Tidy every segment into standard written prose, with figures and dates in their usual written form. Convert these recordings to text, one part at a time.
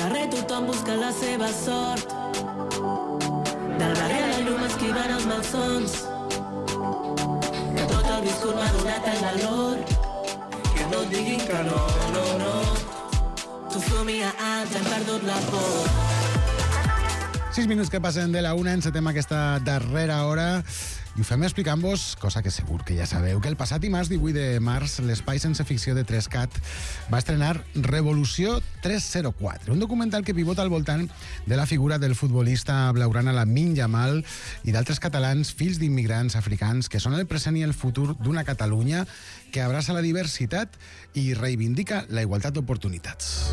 carrer tothom busca la seva sort. Del barri a la llum esquivant els malsons. Que tot el viscut m'ha donat el valor. Que no et diguin que no, no, no. Tu somia alts, hem perdut la por. 6 minuts que passen de la 1, encetem aquesta darrera hora i ho fem explicant-vos, cosa que segur que ja sabeu, que el passat dimarts 18 de març l'Espai Sense Ficció de 3CAT va estrenar Revolució 304, un documental que pivota al voltant de la figura del futbolista blaugrana Lamine Yamal i d'altres catalans, fills d'immigrants africans, que són el present i el futur d'una Catalunya que abraça la diversitat i reivindica la igualtat d'oportunitats.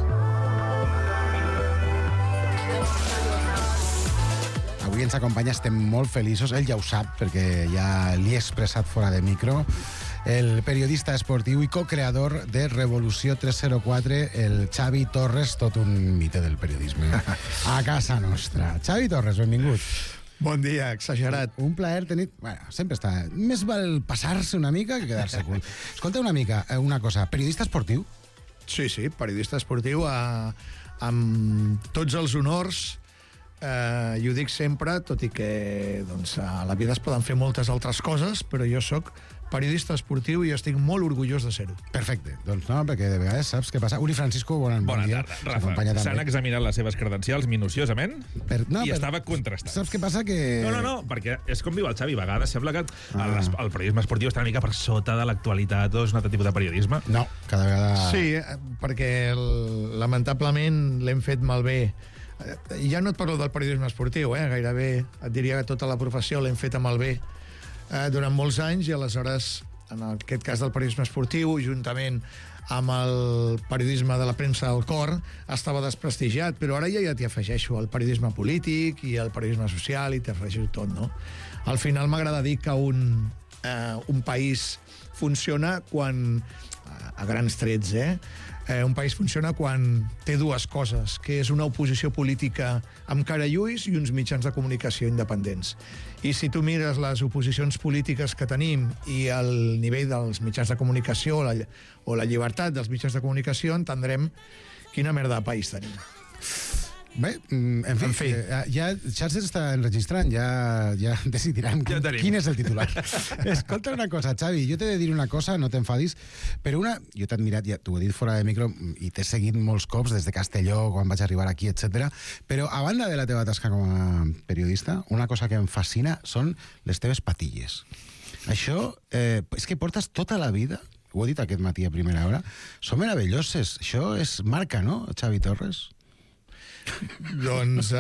Avui ens acompanya, estem molt feliços, ell ja ho sap, perquè ja li he expressat fora de micro, el periodista esportiu i co-creador de Revolució 304, el Xavi Torres, tot un mite del periodisme, a casa nostra. Xavi Torres, benvingut. Bon dia, exagerat. Un plaer tenir... Bueno, sempre està... Més val passar-se una mica que quedar-se curt. Escolta una mica, una cosa, periodista esportiu? Sí, periodista esportiu amb tots els honors. I ho dic sempre, tot i que doncs, a la vida es poden fer moltes altres coses, però jo sóc periodista esportiu i estic molt orgullós de ser-ho. Perfecte, doncs no, perquè de vegades saps què passa. Uri Francisco, bon dia. Bona tarda, Rafa. S'han examinat les seves credencials minuciosament i estava contrastat. Saps què passa? Que... No, perquè és com diu el Xavi, a vegades sembla que el periodisme esportiu està una mica per sota de l'actualitat o és un altre tipus de periodisme. No, cada vegada... Sí, perquè lamentablement l'hem fet malbé. Ja no et parlo del periodisme esportiu, gairebé et diria que tota la professió l'hem fet malbé durant molts anys i aleshores, en aquest cas del periodisme esportiu, juntament amb el periodisme de la premsa del cor, estava desprestigiat, però ara ja t'hi afegeixo el periodisme polític i el periodisme social i t'hi afegeixo tot, no? Al final m'agrada dir que un país funciona quan, a grans trets, un país funciona quan té dues coses, que és una oposició política amb cara i ulls i uns mitjans de comunicació independents. I si tu mires les oposicions polítiques que tenim i el nivell dels mitjans de comunicació o la llibertat dels mitjans de comunicació, entendrem quina merda de país tenim. Bé, en fi. Ja Xarxes està enregistrant, ja decidiran quin és el titular. Escolta una cosa, Xavi, jo t'he de dir una cosa, no t'enfadis, però jo t'he admirat, ja t'ho he dit fora de micro, i t'he seguit molts cops des de Castelló, quan vaig arribar aquí, etc. Però a banda de la teva tasca com a periodista, una cosa que em fascina són les teves patilles. Això, és que portes tota la vida, ho he dit aquest matí a primera hora, són meravelloses. Això és marca, no, Xavi Torres? Doncs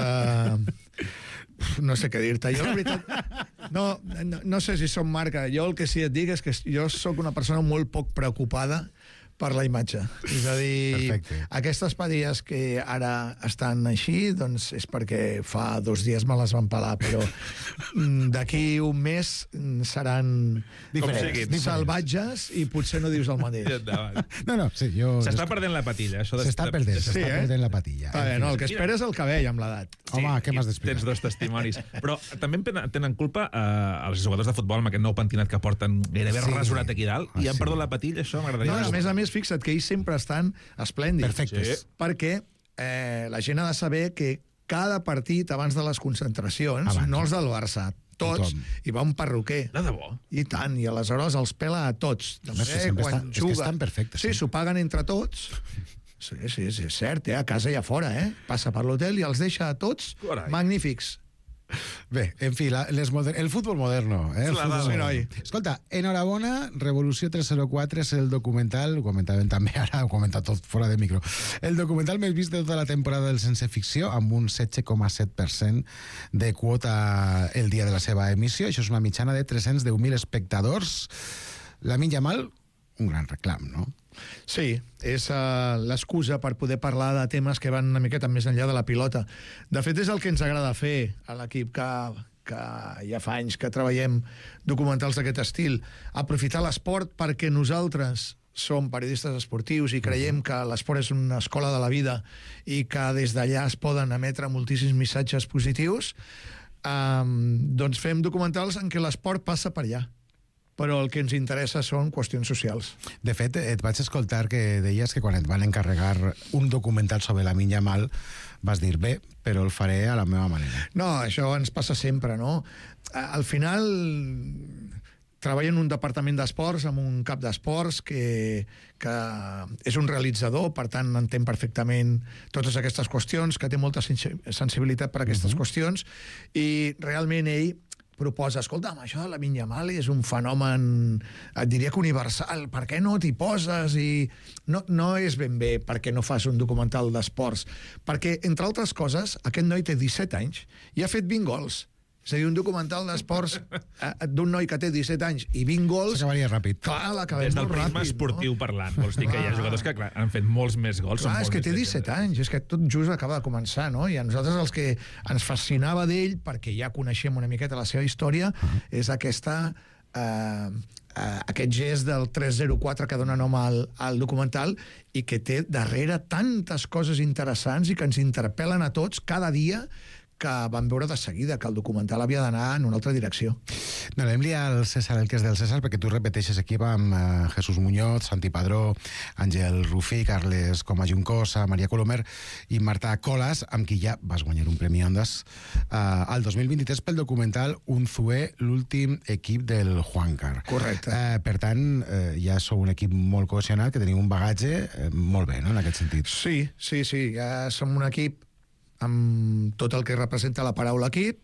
no sé què dir-te. Jo la veritat no sé si som marca. Jo el que sí et dic és que jo sóc una persona molt poc preocupada per la imatge. És a dir, perfecte. Aquestes patilles que ara estan així, doncs és perquè fa 2 dies me les van pelar, però d'aquí un mes seran diferents, salvatges i potser no dius el mateix. No, sí, s'està perdent la patilla. S'està perdent la patilla. No, el que espera és el cabell amb l'edat. Home, què m'has d'explicar? Tens 2 testimonis. Però també tenen culpa els jugadors de futbol amb aquest nou pentinat que porten gairebé rasurat aquí dalt i han perdut la patilla, això m'agradaria. No, a més, fixa't que ells sempre estan esplèndids. Perfectes. Sí. Perquè la gent ha de saber que cada partit abans de les concentracions, no els del Barça, tots, hi va un perruquer. De debò? I tant, i aleshores els pela a tots. És que estan perfectes. Sí, s'ho paguen entre tots. Sí, és cert, a casa i a fora, passa per l'hotel i els deixa a tots magnífics. Bé, en fi, el futbol moderno. Escolta, enhorabona, Revolució 304 és el documental, ho comentàvem també ara, ho comentat tot fora de micro, el documental més vist de tota la temporada del Sense Ficció, amb un 16,7% de quota el dia de la seva emissió. Això és una mitjana de 310.000 espectadors. Lamine Yamal, un gran reclam, no? Sí, és l'excusa per poder parlar de temes que van una miqueta més enllà de la pilota. De fet, és el que ens agrada fer a l'equip que ja fa anys que treballem documentals d'aquest estil. Aprofitar l'esport perquè nosaltres som periodistes esportius i creiem que l'esport és una escola de la vida i que des d'allà es poden emetre moltíssims missatges positius, doncs fem documentals en què l'esport passa per allà. però el que ens interessa són qüestions socials. De fet, et vaig escoltar que deies que quan et van encarregar un documental sobre Lamine Yamal vas dir, bé, però el faré a la meva manera. No, això ens passa sempre, no? Al final treballo en un departament d'esports, amb un cap d'esports que és un realitzador, per tant entén perfectament totes aquestes qüestions, que té molta sensibilitat per a aquestes qüestions, i realment ell proposa, escolta'm, això de Lamine Yamal és un fenomen, et diria que universal, per què no t'hi poses? I no és ben bé perquè no fas un documental d'esports, perquè, entre altres coses, aquest noi té 17 anys i ha fet 20 gols. És a dir, un documental d'esports d'un noi que té 17 anys i 20 gols... S'acabaria ràpid. Clar, l'acabem molt ràpid. Des del prisma esportiu parlant, vols dir que hi ha jugadors que han fet molts més gols. Clar, és que té 17 anys, és que tot just acaba de començar, no? I a nosaltres els que ens fascinava d'ell, perquè ja coneixem una miqueta la seva història, és aquest gest del 304 que dona nom al documental i que té darrere tantes coses interessants i que ens interpel·len a tots cada dia, que vam veure de seguida que el documental havia d'anar en una altra direcció. Donem-li al César el que és del César, perquè tu repeteixes equip amb Jesús Muñoz, Santi Padró, Àngel Rufí, Carles Coma Juncosa, Maria Colomer i Marta Colas, amb qui ja vas guanyar un Premi Ondas al 2023 pel documental Unzué, l'últim equip del Juancar. Correcte. Per tant, ja sou un equip molt cohesionat, que teniu un bagatge molt bé, no?, en aquest sentit. Sí, ja som un equip amb tot el que representa la paraula equip,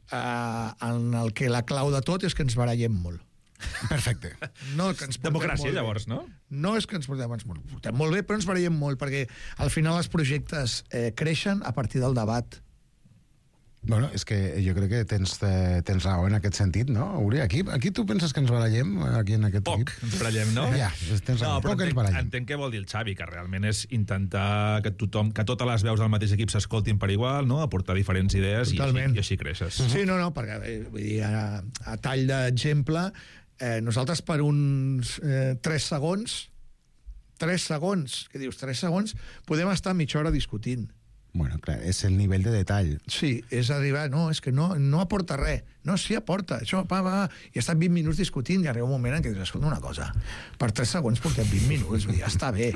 en el que la clau de tot és que ens barallem molt. Perfecte. No, que ens democràcia, llavors, no? No és que ens portem molt bé, però ens barallem molt, perquè al final els projectes creixen a partir del debat. Bueno, és que jo crec que tens raó en aquest sentit, no, Uri? Aquí tu penses que ens barallem, aquí en aquest equip? Ens barallem, no? Ja, tens raó. Poc ens barallem. Entenc què vol dir el Xavi, que realment és intentar que totes les veus del mateix equip s'escoltin per igual, no?, aportar diferents idees i així creixes. Sí, no, perquè vull dir, a tall d'exemple, nosaltres per uns 3 segons, què dius, 3 segons, podem estar mitja hora discutint. Bueno, clar, és el nivell de detall. Sí, és arribar, és que no aporta res. No, sí aporta, això, va, i ha estat 20 minuts discutint i arriba un moment en què dius, escolta una cosa, per 3 segons portem 20 minuts, ja està bé.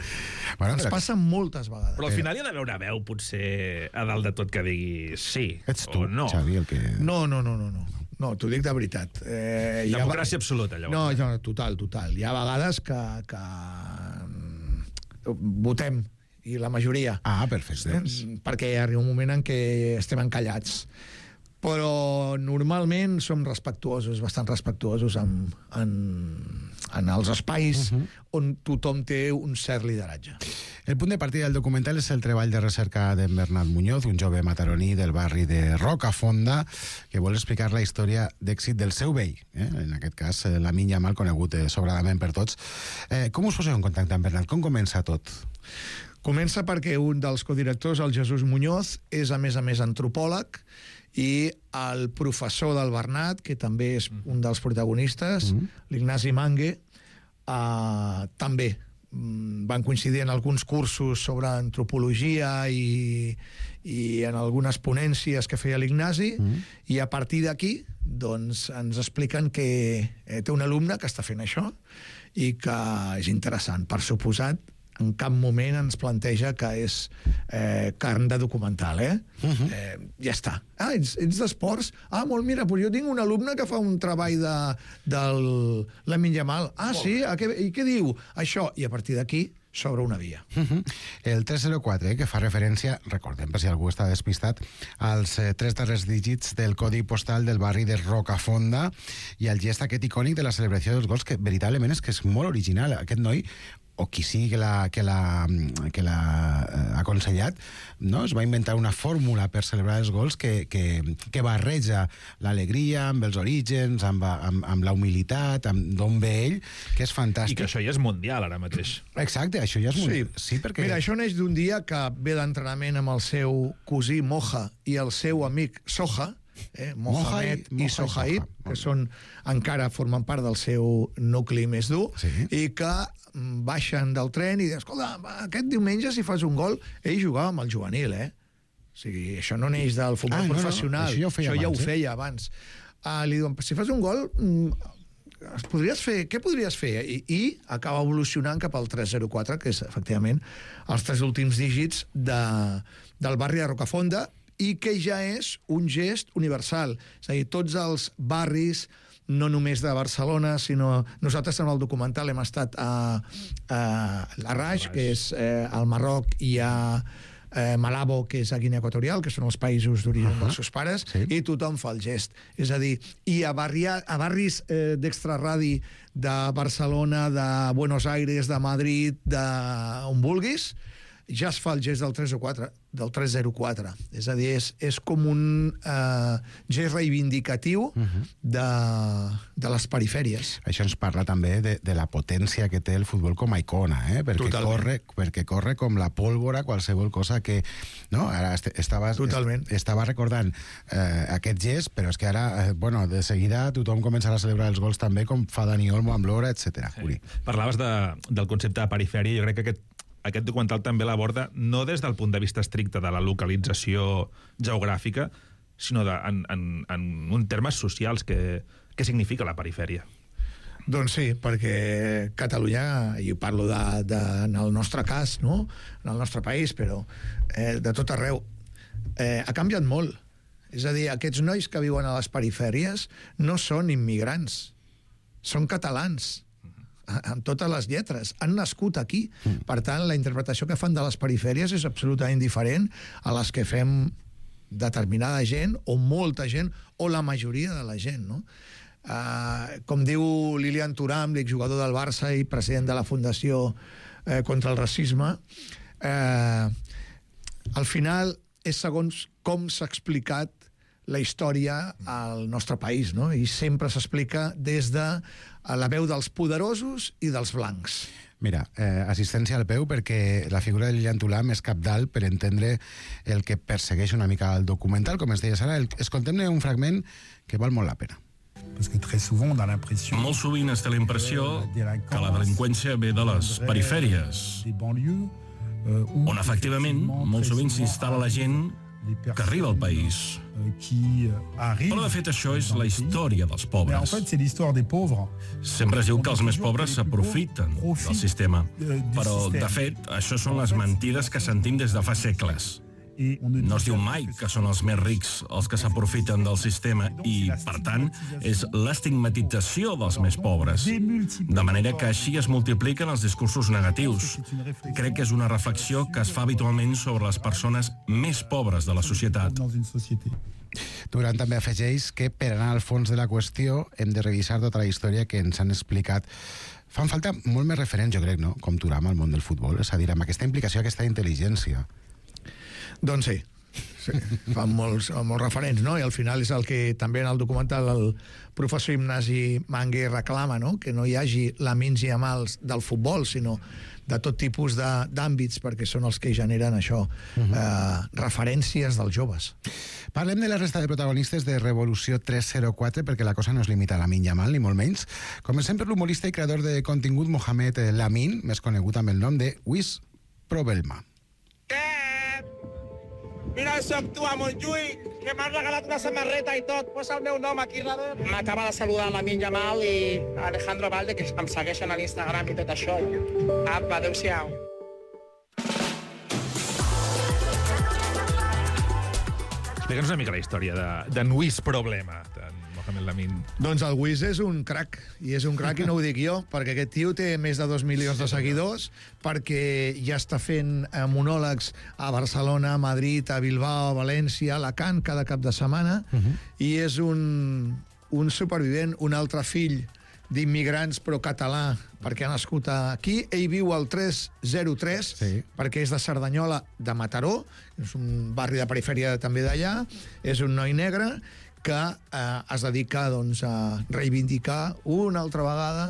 Bueno, ens passa moltes vegades. Però al final hi ha d'haver una veu, potser, a dalt de tot, que digui sí ets tu, o no. Xavi, el que... No, t'ho dic de veritat. Democràcia absoluta, llavors. No, total. Hi ha vegades que votem, i la majoria. Perfecte. Perquè arriba un moment en què estem encallats. Però normalment som respectuosos, bastant respectuosos en els espais on tothom té un cert lideratge. El punt de partida del documental és el treball de recerca d'en Bernat Muñoz, un jove mataroní del barri de Rocafonda, que vol explicar la història d'èxit del seu vell, en aquest cas Lamine Yamal, conegut sobradament per tots. Com us poseu en contacte amb Bernat? Com comença tot? Comença perquè un dels codirectors, el Jesús Muñoz, és a més antropòleg, i el professor del Bernat, que també és un dels protagonistes, l'Ignasi Mangue, també van coincidir en alguns cursos sobre antropologia i en algunes ponències que feia l'Ignasi, i a partir d'aquí doncs, ens expliquen que té un alumne que està fent això i que és interessant. Per suposat, en cap moment ens planteja que és carn de documental, ja està. Ets d'esports? Molt, mira, jo tinc un alumne que fa un treball del Lamine Yamal. Sí? I què diu? Això. I a partir d'aquí s'obre una via. El 304, que fa referència, recordem, per si algú està despistat, als 3 darrers dígits del codi postal del barri de Rocafonda i el gest aquest icònic de la celebració dels gols, que veritablement és que és molt original. Aquest noi, o qui sigui que l'ha aconsellat, no? Es va inventar una fórmula per celebrar els gols que barreja l'alegria amb els orígens, amb la humilitat, amb d'on ve ell, que és fantàstic. I que això ja és mundial ara mateix. Exacte, això ja és mundial. Sí, perquè... Mira, això neix d'un dia que ve d'entrenament amb el seu cosí Moja i el seu amic Soja, Mohamed i Sohaib, que encara formen part del seu nucli més dur, i que baixen del tren i diuen, escolta, aquest diumenge si fas un gol, ell jugava amb el juvenil, O sigui, això no neix del futbol professional, això ja ho feia abans. Li diuen, si fas un gol, què podries fer? I acaba evolucionant cap al 304, que és, efectivament, els 3 últims dígits del barri de Rocafonda, i que ja és un gest universal. És a dir, tots els barris, no només de Barcelona, sinó nosaltres en el documental hem estat a Larraix, que és al Marroc, i a Malabo, que és a Guinea Equatorial, que són els països d'origen dels seus pares, i tothom fa el gest. És a dir, i a barris d'extraradi de Barcelona, de Buenos Aires, de Madrid, d'on vulguis, ja es fa el gest del 304. És a dir, és com un gest reivindicatiu de les perifèries. Això ens parla també de la potència que té el futbol com a icona, perquè corre com la pólvora qualsevol cosa que... No? Ara estava recordant aquest gest, però és que ara, de seguida tothom començarà a celebrar els gols també, com fa Dani Olmo amb l'Hora, etc. Parlaves del concepte de perifèria. Jo crec que aquest documental també l'aborda no des del punt de vista estricte de la localització geogràfica, sinó en uns termes socials. Què significa la perifèria? Doncs sí, perquè Catalunya, i parlo en el nostre cas, no? En el nostre país, però de tot arreu, ha canviat molt. És a dir, aquests nois que viuen a les perifèries no són immigrants, són catalans, amb totes les lletres, han nascut aquí. Per tant, la interpretació que fan de les perifèries és absolutament diferent a les que fem determinada gent, o molta gent, o la majoria de la gent, no? Com diu Lilian Thuram, l'exjugador del Barça i president de la Fundació contra el Racisme, al final és segons com s'ha explicat la història al nostre país, no? I sempre s'explica des de la veu dels poderosos i dels blancs. Mira, assistència al peu, perquè la figura de Lilian Thuram és cabdal per entendre el que persegueix una mica el documental. Com es deia Sara, escoltem-ne un fragment que val molt la pena. Molt sovint es té la impressió que la delinqüència ve de les perifèries, on efectivament molt sovint s'instal·la la gent que arriba al país. Però de fet això és la història dels pobres. Sempre es diu que els més pobres s'aprofiten del sistema, però de fet això són les mentides que sentim des de fa segles. No es diu mai que són els més rics els que s'aprofiten del sistema i, per tant, és l'estigmatització dels més pobres. De manera que així es multipliquen els discursos negatius. Crec que és una reflexió que es fa habitualment sobre les persones més pobres de la societat. Duran també afegeix que per anar al fons de la qüestió hem de revisar tota la història que ens han explicat. Fan falta molt més referents, jo crec, no? Com Thuram al món del futbol, és a dir, amb aquesta implicació, aquesta intel·ligència. Doncs sí, fan molts referents, no? I al final és el que també en el documental el professor Ignasi Mangué reclama, no? Que no hi hagi lamins i amals del futbol, sinó de tot tipus d'àmbits, perquè són els que generen això, referències dels joves. Parlem de la resta de protagonistes de Revolució 304, perquè la cosa no es limita a Lamine Yamal, ni molt menys. Comencem per l'humorista i creador de contingut Mohamed Lamine, més conegut amb el nom de Wiz Probelma. Mira, soc tu, a Montjuïc, que m'has regalat una samarreta i tot. Posa el meu nom aquí darrere. M'acaba de saludar Lamine Yamal i Alejandro Valde, que em segueixen a l'Instagram i tot això. Apa, adéu-siau. Explica'ns una mica la història d'en Wiz Problema, d'en Mohamed Lamine. Doncs el Wiz és un crac, i és un crac i no ho dic jo, perquè aquest tio té més de 2 milions de seguidors, perquè ja està fent monòlegs a Barcelona, a Madrid, a Bilbao, a València, a Alacant, cada cap de setmana, i és un supervivent, un altre fill d'immigrants però català, perquè ha nascut aquí. Ell viu al 303, perquè és de Cerdanyola, de Mataró, és un barri de perifèria també d'allà, és un noi negre que es dedica doncs, a reivindicar una altra vegada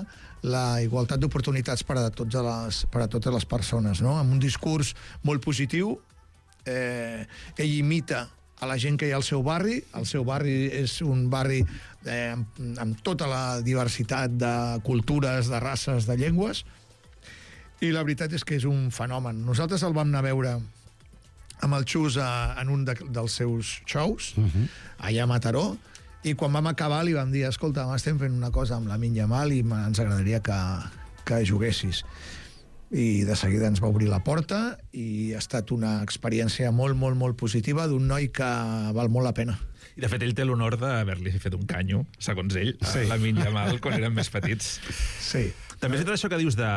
la igualtat d'oportunitats per a totes les persones, no? Amb un discurs molt positiu. Ell imita a la gent que hi ha al seu barri. El seu barri és un barri amb tota la diversitat de cultures, de races, de llengües, i la veritat és que és un fenomen. Nosaltres el vam anar a veure amb el Xus en un dels seus shows, allà a Mataró, I quan vam acabar li vam dir, escolta, estem fent una cosa amb Lamine Yamal i ens agradaria que juguessis. I de seguida ens va obrir la porta i ha estat una experiència molt, molt, molt positiva d'un noi que val molt la pena. I de fet ell té l'honor d'haver-li fet un canyo, segons ell, a Lamine Yamal quan eren més petits. Sí. També és tot això que dius de...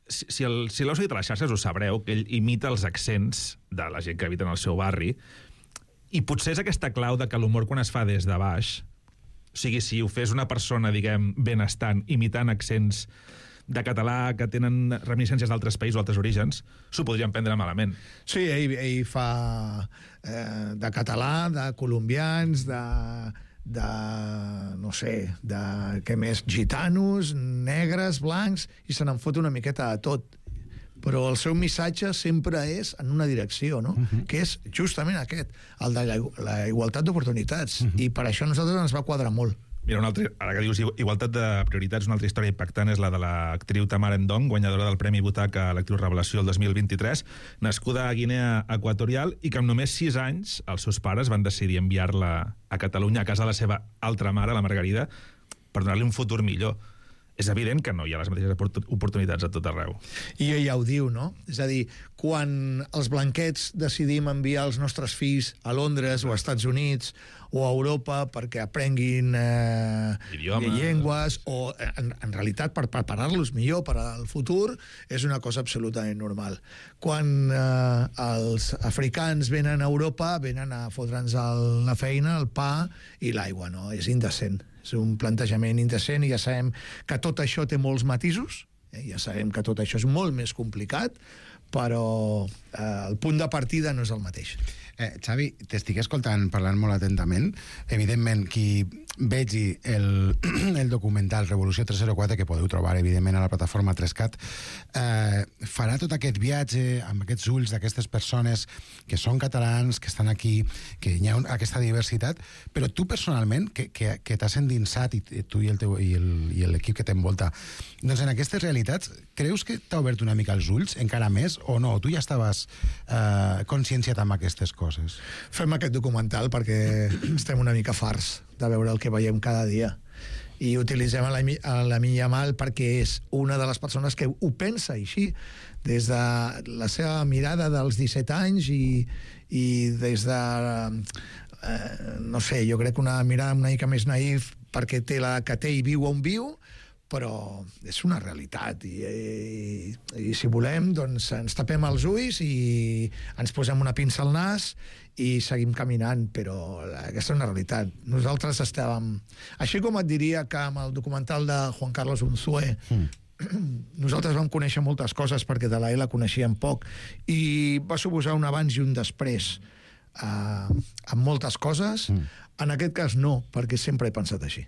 Si l'heu seguit a les xarxes ho sabreu, que ell imita els accents de la gent que habita en el seu barri, i potser és aquesta clau de que l'humor quan es fa des de baix, o sigui, si ho fes una persona, diguem, benestant, imitant accents de català que tenen reminiscències d'altres països o altres orígens, s'ho podrien prendre malament. Sí, ell fa de català, de colombians, de no sé, de què més, gitanos, negres, blancs, i se n'en fot una miqueta de tot. Però el seu missatge sempre és en una direcció, no? Que és justament aquest, el de la igualtat d'oportunitats. I per això a nosaltres ens va quadrar molt. Mira, ara que dius igualtat de prioritats, una altra història impactant és la de l'actriu Tamara Ndong, guanyadora del Premi Butaca a l'actriu Revelació el 2023, nascuda a Guinea Equatorial i que amb només 6 anys els seus pares van decidir enviar-la a Catalunya, a casa de la seva altra mare, la Margarida, per donar-li un futur millor. És evident que no hi ha les mateixes oportunitats a tot arreu. I ella ho diu, no? És a dir, quan els blanquets decidim enviar els nostres fills a Londres o a Estats Units o a Europa perquè aprenguin llengües o, en realitat, per preparar-los millor per al futur, és una cosa absolutament normal. Quan els africans venen a Europa, venen a fotre'ns la feina, el pa i l'aigua, no? És indecent. És un plantejament indecent i ja sabem que tot això té molts matisos, ja sabem que tot això és molt més complicat, però el punt de partida no és el mateix. Xavi, t'estic escoltant parlant molt atentament. Evidentment, qui vegi el documental Revolució 304, que podeu trobar, evidentment, a la plataforma 3CAT, farà tot aquest viatge amb aquests ulls d'aquestes persones que són catalans, que estan aquí, que hi ha aquesta diversitat, però tu personalment, que t'has endinsat, i tu i l'equip que t'envolta, doncs en aquestes realitats, creus que t'ha obert una mica els ulls, encara més, o no? Tu ja estaves conscienciat amb aquestes coses? Fem aquest documental perquè estem una mica farts de veure el que veiem cada dia. I utilitzem Lamine Yamal perquè és una de les persones que ho pensa així, des de la seva mirada dels 17 anys i des de, no sé, jo crec que una mirada una mica més naïf perquè té la que té i viu on viu, però és una realitat i si volem doncs ens tapem els ulls i ens posem una pinça al nas i seguim caminant, però aquesta és una realitat. Nosaltres estàvem... Així com et diria que amb el documental de Juan Carlos Unzué nosaltres vam conèixer moltes coses perquè de la coneixíem poc i va suposar un abans i un després amb moltes coses. En aquest cas no, perquè sempre he pensat així.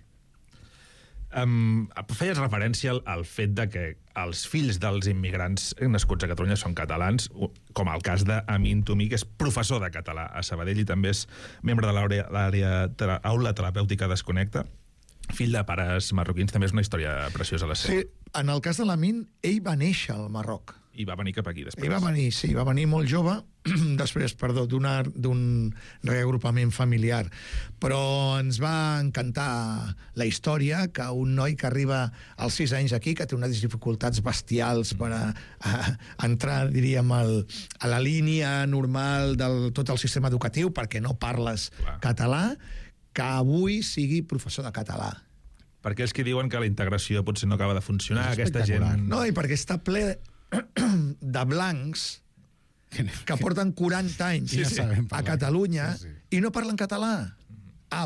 Feies referència al fet de que els fills dels immigrants nascuts a Catalunya són catalans, com el cas d'Amin Toumi, que és professor de català a Sabadell i també és membre de l'Aula Terapèutica Desconnecta, fill de pares marroquins. També és una història preciosa la seva. Sí, en el cas de l'Amin, ell va néixer al Marroc. I va venir cap aquí després. Ell va venir molt jove, després, d'un reagrupament familiar. Però ens va encantar la història que un noi que arriba als 6 anys aquí, que té unes dificultats bestials per entrar, diríem, a la línia normal de tot el sistema educatiu, perquè no parles català, que avui sigui professor de català. Per aquells que diuen que la integració potser no acaba de funcionar, aquesta gent... No, i perquè està ple de blancs que porten 40 anys a Catalunya i no parlen català.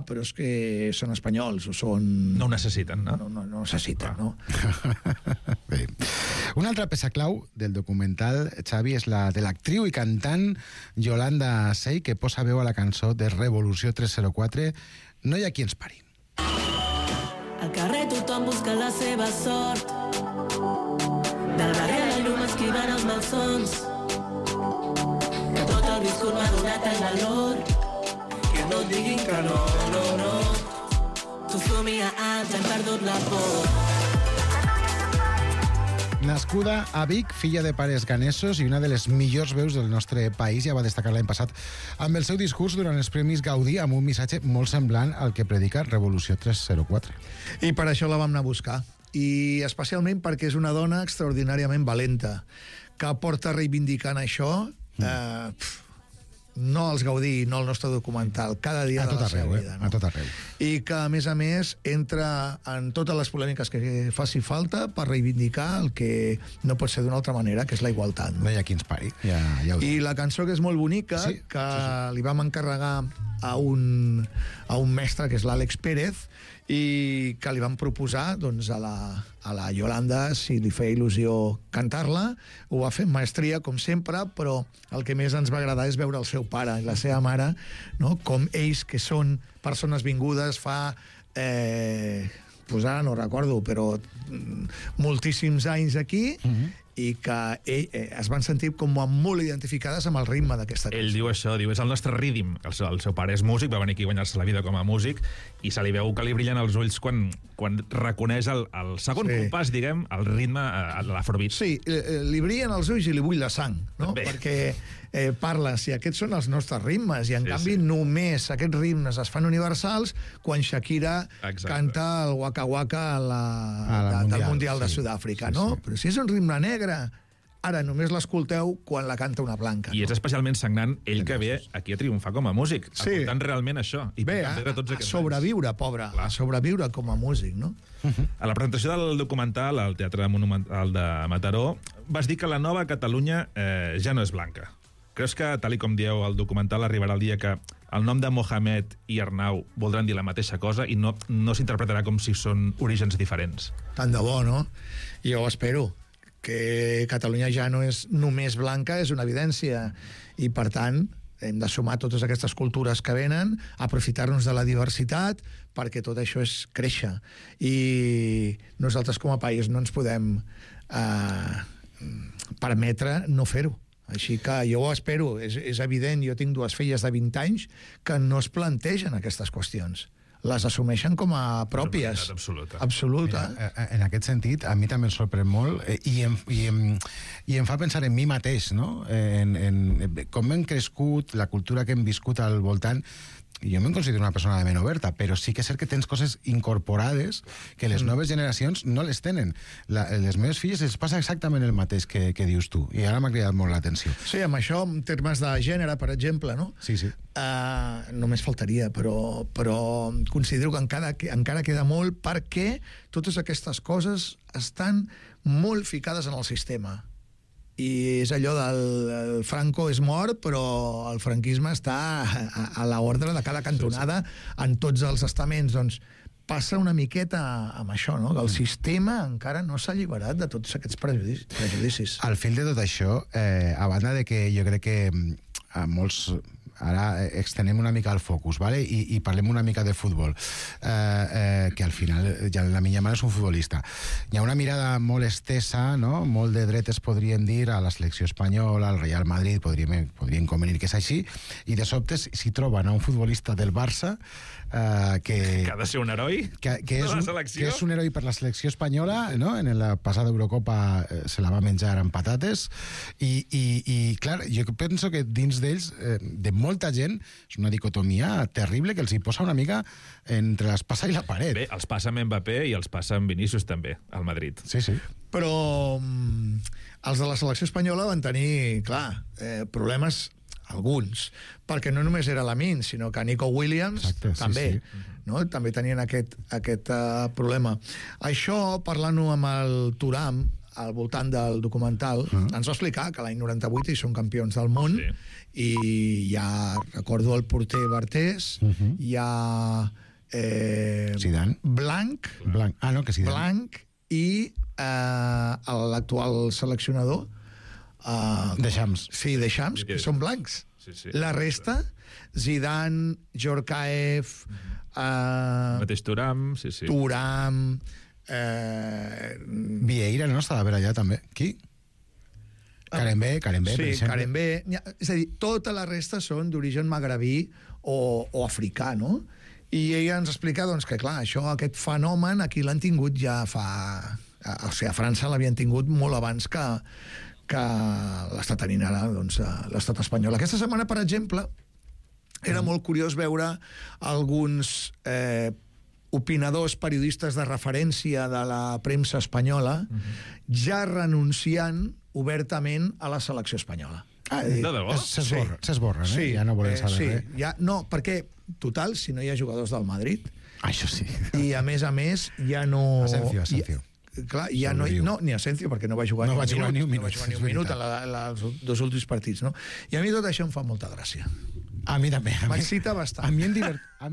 Però és que són espanyols o són... No ho necessiten, no? No necessiten, no? Bé. Una altra peça clau del documental, Xavi, és la de l'actriu i cantant Yolanda Sey, que posa veu a la cançó de Revolució 304, No hi ha qui ens pari. Al carrer tothom busca la seva sort, del barri a la llum esquivant els malsons, que tot el viscut m'ha donat el valor, que no et diguin que no, no, no. Tu somia anys, hem perdut la por. Nascuda a Vic, filla de pares ganesos i una de les millors veus del nostre país, ja va destacar l'any passat amb el seu discurs durant els Premis Gaudí amb un missatge molt semblant al que predica Revolució 304. I per això la vam anar a buscar. I especialment perquè és una dona extraordinàriament valenta, que porta reivindicant això no els Gaudí, no el nostre documental, cada dia de la seva vida. A tot arreu. I que, a més, entra en totes les polèmiques que faci falta per reivindicar el que no pot ser d'una altra manera, que és la igualtat. No hi ha qui ens pari. Ja I la cançó, que és molt bonica, que li vam encarregar a un mestre, que és l'Àlex Pérez, i que li vam proposar doncs, a la Yolanda si li feia il·lusió cantar-la. Ho va fer amb maestria, com sempre, però el que més ens va agradar és veure el seu pare i la seva mare, no? Com ells, que són persones vingudes fa... doncs ara no recordo, però moltíssims anys aquí, i que es van sentir com molt identificades amb el ritme d'aquesta cançó. Ell diu això, diu, és el nostre rídim. El seu pare és músic, va venir aquí a guanyar-se la vida com a músic, i se li veu que li brillen els ulls quan reconeix el segon compàs, diguem, el ritme de l'afrobeat. Sí, li brillen els ulls i li bull la sang, no? Perquè parla, si aquests són els nostres ritmes, i en canvi només aquests ritmes es fan universals quan Shakira canta el Waka Waka del Mundial de Sud-àfrica, no? Però si és un ritme negre, ara només l'escolteu quan la canta una blanca. I és especialment sagnant ell que ve aquí a triomfar com a músic, aportant realment això. I bé, a sobreviure, pobre, a sobreviure com a músic, no? A la presentació del documental al Teatre Monumental de Mataró vas dir que la nova Catalunya ja no és blanca. Creus que, tal com dieu al documental, arribarà el dia que el nom de Mohamed i Arnau voldran dir la mateixa cosa i no s'interpretarà com si són orígens diferents? Tant de bo, no? Jo espero que Catalunya ja no és només blanca, és una evidència, i per tant hem de sumar totes aquestes cultures que venen, aprofitar-nos de la diversitat, perquè tot això és créixer. I nosaltres com a país no ens podem permetre no fer-ho. Així que jo ho espero, és evident, jo tinc dues filles de 20 anys que no es plantegen aquestes qüestions. Les assumeixen com a pròpies. Absoluta. Mira, en aquest sentit, a mi també em sorprèn molt i em fa pensar en mi mateix, no? En com hem crescut, la cultura que hem viscut al voltant. Jo em considero una persona de ment oberta, però sí que és cert que tens coses incorporades que les noves generacions no les tenen. Les meves filles els passa exactament el mateix que dius tu, i ara m'ha cridat molt l'atenció. Sí, amb això, en termes de gènere, per exemple, no? Sí. Només faltaria, però considero que encara queda molt, perquè totes aquestes coses estan molt ficades en el sistema. I és allò del Franco és mort, però el franquisme està a l'ordre de cada cantonada en tots els estaments. Doncs passa una miqueta amb això, no? Que el sistema encara no s'ha alliberat de tots aquests prejudicis. Al fil de tot això, a banda de que jo crec que a molts... Ara extenem una mica el focus, ¿vale? I parlem una mica de futbol, que al final ja la meva mare és un futbolista. Hi ha una mirada molt estesa, no? Molt de dretes, podríem dir, a la selecció espanyola, al Real Madrid, podríem convenir que és així, i de sobte si troben a un futbolista del Barça que ha de ser un heroi que és un heroi per la selecció espanyola, no? En la passada Eurocopa se la va menjar amb patates, i clar, jo penso que dins d'ells, de molta gent, és una dicotomia terrible que els hi posa una mica entre l'espasa i la paret. Bé, els passa amb Mbappé i els passa amb Vinícius també, al Madrid. Sí. Però els de la selecció espanyola van tenir, clar, problemes, alguns, perquè no només era Lamine, sinó que Nico Williams també, no? També tenien aquest problema. Això, parlant-ho amb el Thuram, al voltant del documental, ens va explicar que l'any 98 hi són campions del món, i ja recordo el porter Bartés, hi ha Zidane, Blanc i l'actual seleccionador Deschamps. Sí, Deschamps, que són blancs. La resta, Zidane, Djorkaeff, mateix Thuram, Thuram, Vieira, no? Estava per allà també. Qui? Carembé, per exemple. Carembé. És a dir, tota la resta són d'origen magrebí o africà, no? I ella ens explica, doncs, que clar, aquest fenomen aquí l'han tingut ja fa O sigui, a França l'havien tingut molt abans que l'està tenint ara l'estat espanyol. Aquesta setmana, per exemple, era molt curiós veure alguns opinadors, periodistes de referència de la premsa espanyola ja renunciant obertament a la selecció espanyola. De debò? S'esborren, sí, ja no volen saber res. Ja, no, perquè, total, si no hi ha jugadors del Madrid... Això sí. I, a més, ja no... Asensio. Clar, ja no, ni Asensio, perquè no va jugar ni un minut en els dos últims partits, no? I a mi tot això em fa molta gràcia. A mi també. M'excita bastant. A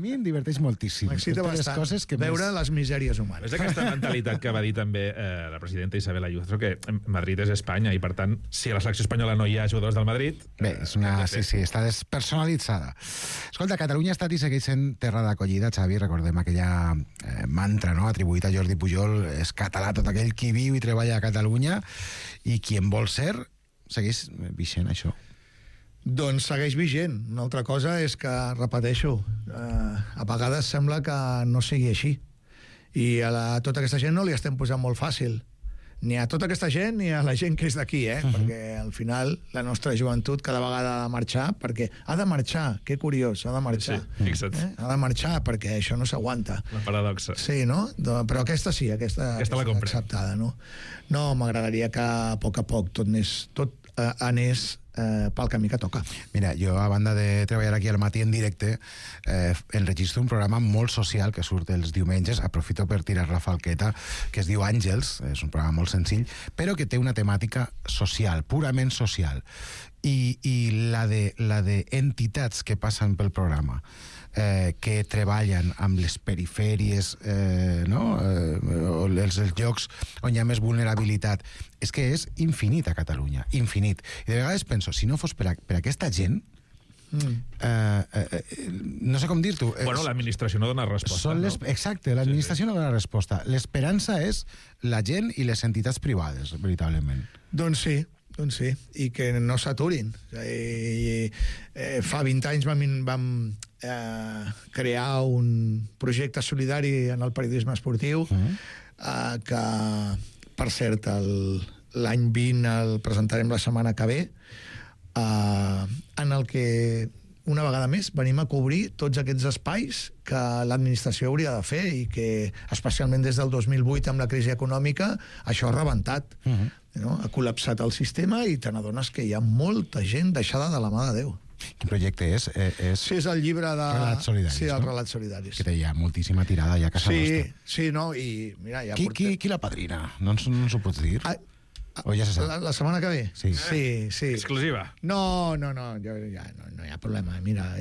mi em diverteix moltíssim. M'excita bastant veure les misèries humanes. És aquesta mentalitat que va dir també la presidenta Isabel Ayuso, que Madrid és Espanya i, per tant, si a la selecció espanyola no hi ha jugadors del Madrid... Bé, sí, està despersonalitzada. Escolta, Catalunya ha estat i segueix sent terra d'acollida, Xavi. Recordem aquella mantra, no?, atribuït a Jordi Pujol: és català tot aquell qui viu i treballa a Catalunya, i qui en vol ser segueix vigent, això. Doncs segueix vigent. Una altra cosa és que, repeteixo, a vegades sembla que no sigui així. I a tota aquesta gent no li estem posant molt fàcil. Ni a tota aquesta gent ni a la gent que és d'aquí, perquè al final la nostra joventut cada vegada ha de marxar, perquè ha de marxar, que curiós, ha de marxar. Sí, fixa't. Ha de marxar perquè això no s'aguanta. La paradoxa. Sí, no? Però aquesta sí, aquesta la comprem. Acceptada, no? No, m'agradaria que a poc tot anés pel camí que toca. Mira, jo, a banda de treballar aquí al matí en directe, enregistro un programa molt social que surt els diumenges, aprofito per tirar la falqueta, que es diu Àngels, és un programa molt senzill, però que té una temàtica social, purament social, i la de entitats que passen pel programa, que treballen amb les perifèries, els llocs on hi ha més vulnerabilitat, és que és infinit a Catalunya, infinit. I de vegades penso, si no fos per aquesta gent, no sé com dir-t'ho. Bueno, l'administració no dona resposta. Exacte, l'administració no dona resposta. L'esperança és la gent i les entitats privades, veritablement. Doncs sí, i que no s'aturin. Fa 20 anys vam crear un projecte solidari en el periodisme esportiu que, per cert, l'any 20 el presentarem la setmana que ve, en el que una vegada més venim a cobrir tots aquests espais que l'administració hauria de fer i que, especialment des del 2008 amb la crisi econòmica, això ha rebentat. Ha col·lapsat el sistema i te n'adones que hi ha molta gent deixada de la mà de Déu. Quin projecte és? Sí, és el llibre de... Relats Solidaris, sí, els Relats Solidaris. Que hi ha moltíssima tirada ja a casa nostra. Sí, no, i mira... Ja qui la padrina? No ens ho pots dir? O ja se sap? La setmana que ve? Sí. Exclusiva. No, ja no hi ha problema. Mira,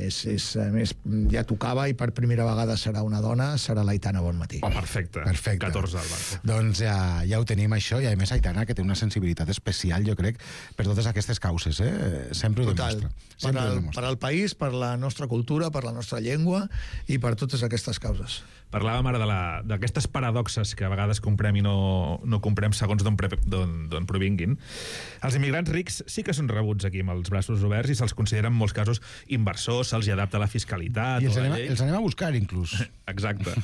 més, ja tocava i per primera vegada serà una dona, serà l'Aitana Bonmatí. Oh, perfecte. 14 al barco. Doncs ja ho tenim, això, i a més Aitana, que té una sensibilitat especial, jo crec, per totes aquestes causes, sempre ho demostra. Per al país, per la nostra cultura, per la nostra llengua i per totes aquestes causes. Parlàvem ara d'aquestes paradoxes que a vegades comprem i no comprem segons d'on provinguin. Els immigrants rics sí que són rebuts aquí amb els braços oberts i se'ls considera en molts casos inversors, se'ls adapta la fiscalitat... I els anem a buscar, inclús. Exacte.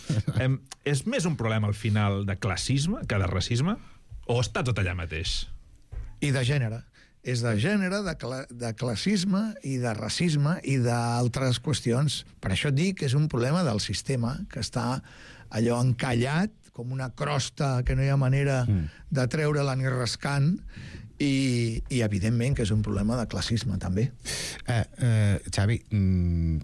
És més un problema, al final, de classisme que de racisme? O està tot allà mateix? I de gènere. És de gènere, de classisme i de racisme i d'altres qüestions. Per això et dic que és un problema del sistema, que està allò encallat, com una crosta que no hi ha manera de treure-la ni rascant, i evidentment que és un problema de classisme, també. Xavi,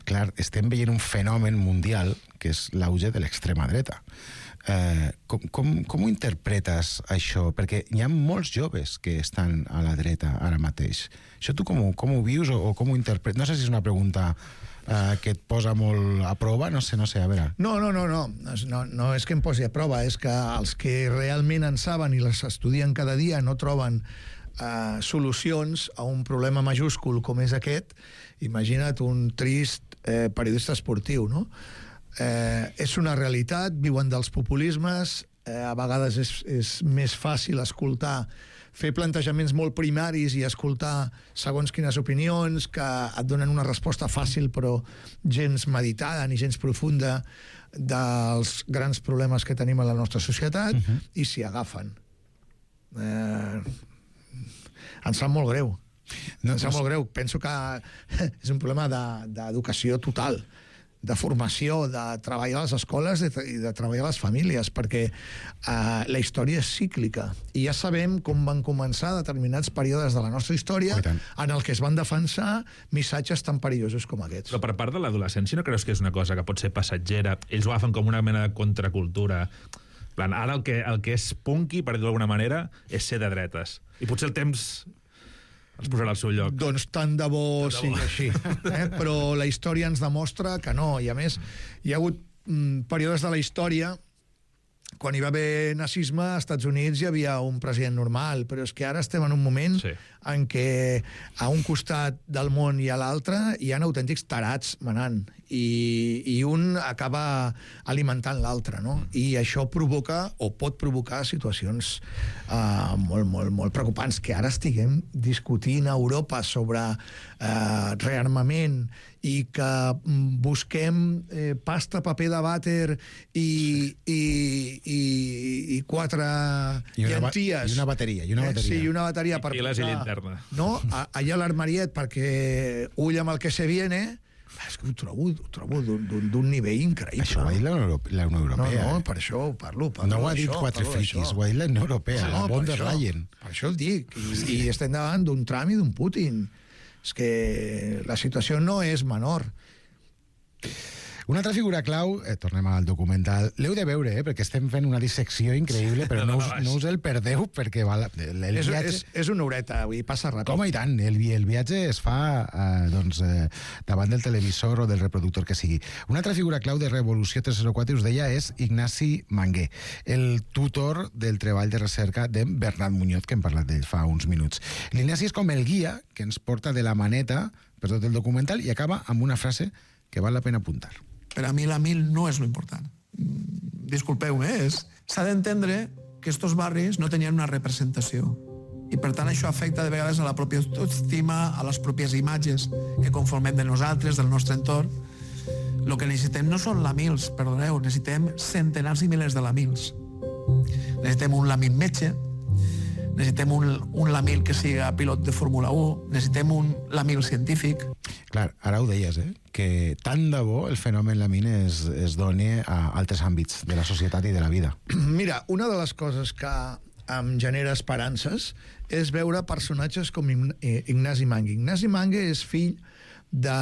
clar, estem veient un fenomen mundial, que és l'auge de l'extrema dreta. Com ho interpretes, això? Perquè hi ha molts joves que estan a la dreta ara mateix. Això tu com ho vius o com ho interpretes? No sé si és una pregunta que et posa molt a prova, no sé, a veure. No és que em posi a prova, és que els que realment en saben i les estudien cada dia no troben solucions a un problema majúscul com és aquest. Imagina't un trist periodista esportiu, no? És una realitat, viuen dels populismes, a vegades és més fàcil fer plantejaments molt primaris i escoltar segons quines opinions que et donen una resposta fàcil però gens meditada ni gens profunda dels grans problemes que tenim a la nostra societat i s'hi agafen. Em sap molt greu. Em sap molt greu. Penso que és un problema d'educació total, de formació, de treballar a les escoles i de treballar a les famílies, perquè la història és cíclica. I ja sabem com van començar determinats períodes de la nostra història en el que es van defensar missatges tan perillosos com aquests. Però per part de l'adolescència no creus que és una cosa que pot ser passatgera? Ells ho agafen com una mena de contracultura. Ara el que és punky, per dir-ho d'alguna manera, és ser de dretes. I potser el temps els posarà al seu lloc. Doncs tant de bo sigui així. Però la història ens demostra que no. I a més, hi ha hagut períodes de la història quan hi va haver nazisme, als Estats Units hi havia un president normal, però és que ara estem en un moment en què a un costat del món i a l'altre hi ha autèntics tarats manant, i un acaba alimentant l'altre, no? I això provoca, o pot provocar, situacions molt preocupants, que ara estiguem discutint a Europa sobre rearmament i que busquem pasta, paper de vàter i 4 llenties. I una bateria. Sí, i una bateria per piles i linterna. No? Allà a l'armariet, perquè ull amb el que se viene. És que ho trobo d'un nivell increïble. Això ho ha dit la Unió Europea. No, per això ho parlo. No ho ha dit quatre friquis, ho ha dit la Unió Europea, la von der Leyen. Per això el dic. I estem davant d'un Trump i d'un Putin. És que la situació no és menor. Una altra figura clau, tornem al documental, l'heu de veure, perquè estem fent una dissecció increïble, però no us el perdeu, perquè el viatge... És una horeta, avui passa ràpid. Com i tant, el viatge es fa davant del televisor o del reproductor que sigui. Una altra figura clau de Revolució 304, us deia, és Ignasi Mangué, el tutor del treball de recerca de Bernat Muñoz, que hem parlat d'ell fa uns minuts. L'Ignasi és com el guia que ens porta de la maneta per tot el documental i acaba amb una frase que val la pena apuntar. Per a mi la mil no és lo important. Disculpeu-me, s'ha d'entendre que estos barris no tenien una representació. I per tant això afecta de vegades a la pròpia autoestima, a les pròpies imatges que conformem de nosaltres, del nostre entorn. El que necessitem no són la mils, perdoneu, necessitem centenars i milers de la mils. Necessitem un lamil metge, necessitem un lamil que siga pilot de Fórmula 1, necessitem un lamil científic. Clar, ara ho deies, que tant de bo el fenomen Lamil es doni a altres àmbits de la societat i de la vida. Mira, una de les coses que em genera esperances és veure personatges com Ignasi Mangué. Ignasi Mangué és fill de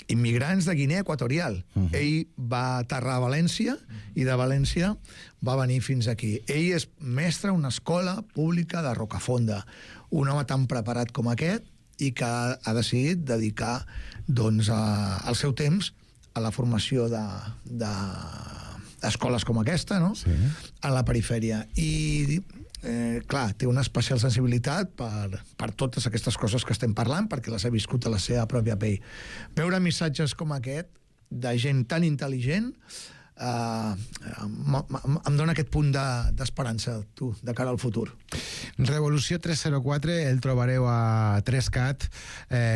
immigrants de Guinea Equatorial. Ell va aterrar a València i de València va venir fins aquí. Ell és mestre a una escola pública de Rocafonda. Un home tan preparat com aquest i que ha decidit dedicar el seu temps a la formació d'escoles com aquesta, no? Sí. A la perifèria. I clar, té una especial sensibilitat per totes aquestes coses que estem parlant, perquè les ha viscut a la seva pròpia pell. Veure missatges com aquest de gent tan intel·ligent em dona aquest punt d'esperança, tu, de cara al futur. Revolució 304 el trobareu a 3CAT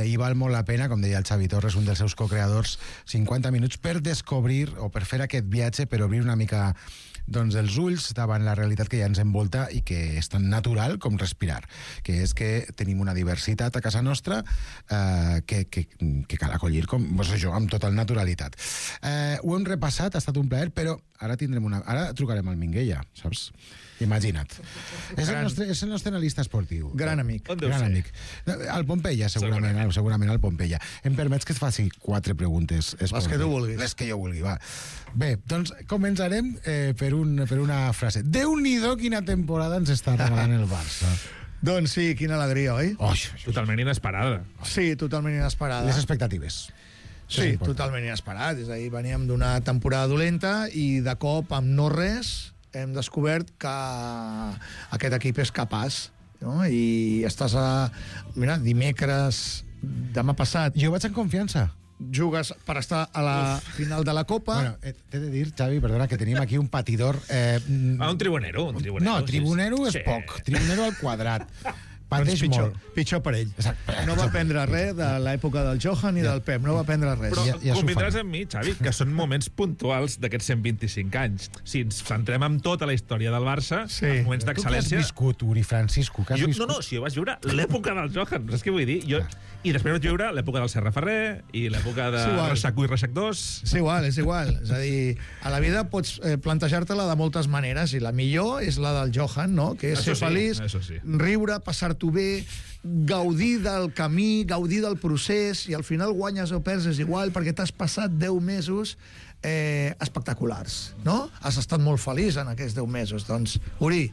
i val molt la pena, com deia el Xavi Torres, un dels seus co-creadors, 50 minuts per descobrir o per fer aquest viatge, per obrir una mica els ulls davant la realitat que ja ens envolta i que és tan natural com respirar, que és que tenim una diversitat a casa nostra que cal acollir amb total naturalitat. Ho hem repassat, ha estat un plaer, però ara trucarem al Minguella, saps? Imagina't. És el nostre analista esportiu. Gran amic. Gran amic. Al Pompeia, segurament al Pompeia. Em permets que et faci 4 preguntes? Les que tu vulguis. Les que jo vulgui, va. Bé, doncs començarem per una frase. Déu-n'hi-do quina temporada ens està regalant el Barça. Doncs sí, quina alegria, oi? Totalment inesperada. Sí, totalment inesperada. Les expectatives. Sí, totalment inesperat. És a dir, veníem d'una temporada dolenta i de cop, amb no res, hem descobert que aquest equip és capaç, no? I estàs mira, dimecres, demà passat... Jo vaig en confiança. Jugues per estar a la final de la Copa. Bueno, t'he de dir, Xavi, perdona, que tenim aquí un patidor... un tribunero. No, tribunero és poc. Tribunero al quadrat. Pateix molt. Pitjor per ell. Exacte. No va aprendre res de l'època del Johan ni del Pep, no va aprendre res. Però convindràs amb mi, Xavi, que són moments puntuals d'aquests 125 anys. Si ens centrem en tota la història del Barça, els moments d'excel·lència... Tu que has viscut, Uri Francisco, que has viscut... No, si jo vaig viure l'època del Johan, saps què vull dir? I després vaig viure l'època del Serra Ferrer i l'època de Reixac 1 i Reixac 2. És igual. És a dir, a la vida pots plantejar-te-la de moltes maneres i la millor és la del Johan, no? Que és ser feliç, riure, passar-t'ho bé, gaudir del camí, gaudir del procés, i al final guanyes o perds és igual perquè t'has passat 10 mesos espectaculars, no? Has estat molt feliç en aquests 10 mesos. Doncs, Uri,